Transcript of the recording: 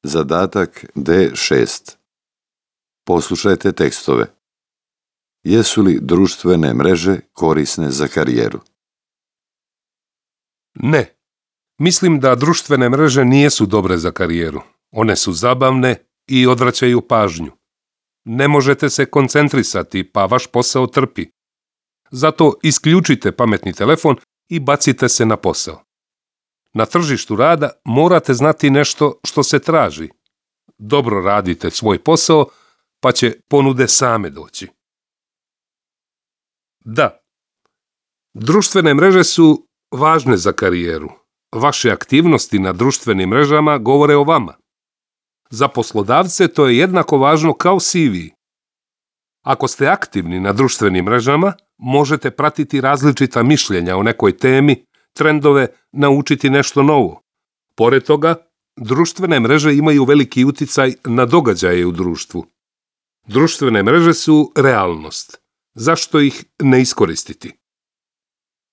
Zadatak D6. Poslušajte tekstove. Jesu li društvene mreže korisne za karijeru? Ne. Mislim da društvene mreže nisu dobre za karijeru. One su zabavne i odvraćaju pažnju. Ne možete se koncentrisati, pa vaš posao trpi. Zato isključite pametni telefon i bacite se na posao. Na tržištu rada morate znati nešto što se traži. Dobro radite svoj posao, pa će ponude same doći. Da, društvene mreže su važne za karijeru. Vaše aktivnosti na društvenim mrežama govore o vama. Za poslodavce to je jednako važno kao CV. Ako ste aktivni na društvenim mrežama, možete pratiti različita mišljenja o nekoj temi, trendove, naučiti nešto novo. Pored toga, društvene mreže imaju veliki uticaj na događaje u društvu. Društvene mreže su realnost. Zašto ih ne iskoristiti?